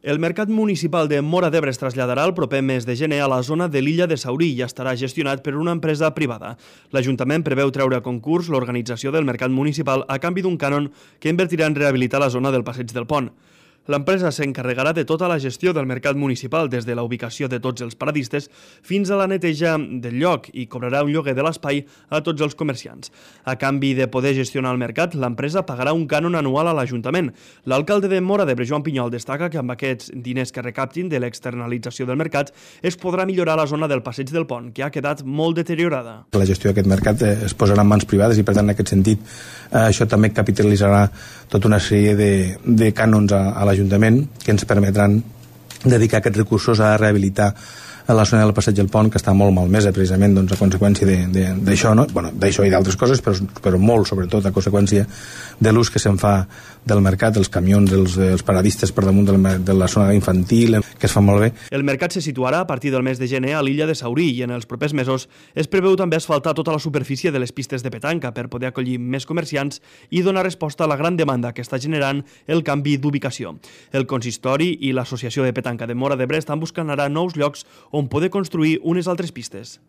El mercat municipal de Móra d'Ebre es traslladarà el proper mes de gener a la zona de l'illa de Saurí i estarà gestionat per una empresa privada. L'Ajuntament preveu treure a concurs l'organització del mercat municipal a canvi d'un cànon que invertirà en rehabilitar la zona del Passeig del Pont. L'empresa s'encarregarà de tota la gestió del mercat municipal, des de la ubicació de tots els paradistes fins a la neteja del lloc, i cobrarà un lloguer de l'espai a tots els comerciants. A canvi de poder gestionar el mercat, l'empresa pagarà un cànon anual a l'Ajuntament. L'alcalde de Móra d'Ebre, Joan Pinyol, destaca que amb aquests diners que recaptin de l'externalització del mercat es podrà millorar la zona del Passeig del Pont, que ha quedat molt deteriorada. La gestió d'aquest mercat es posarà en mans privades i, per tant, en aquest sentit, això també capitalitzarà tota una sèrie de cànons a l'Ajuntament que ens permetran dedicar aquests recursos a rehabilitar la zona del Passeig del Pont, que està molt malmesa precisament a conseqüència d'això, no? D'això i d'altres coses, però molt sobretot a conseqüència de l'ús que se'n fa del mercat, dels camions, dels paradistes per damunt de la zona infantil, que es fa molt bé. El mercat se situarà a partir del mes de gener a l'illa de Saurí i en els propers mesos es preveu també asfaltar tota la superfície de les pistes de petanca per poder acollir més comerciants i donar resposta a la gran demanda que està generant el canvi d'ubicació. El consistori i l'Associació de Petanca de Móra d'Ebre estan buscant ara nous llocs on poder construir unes altres pistes.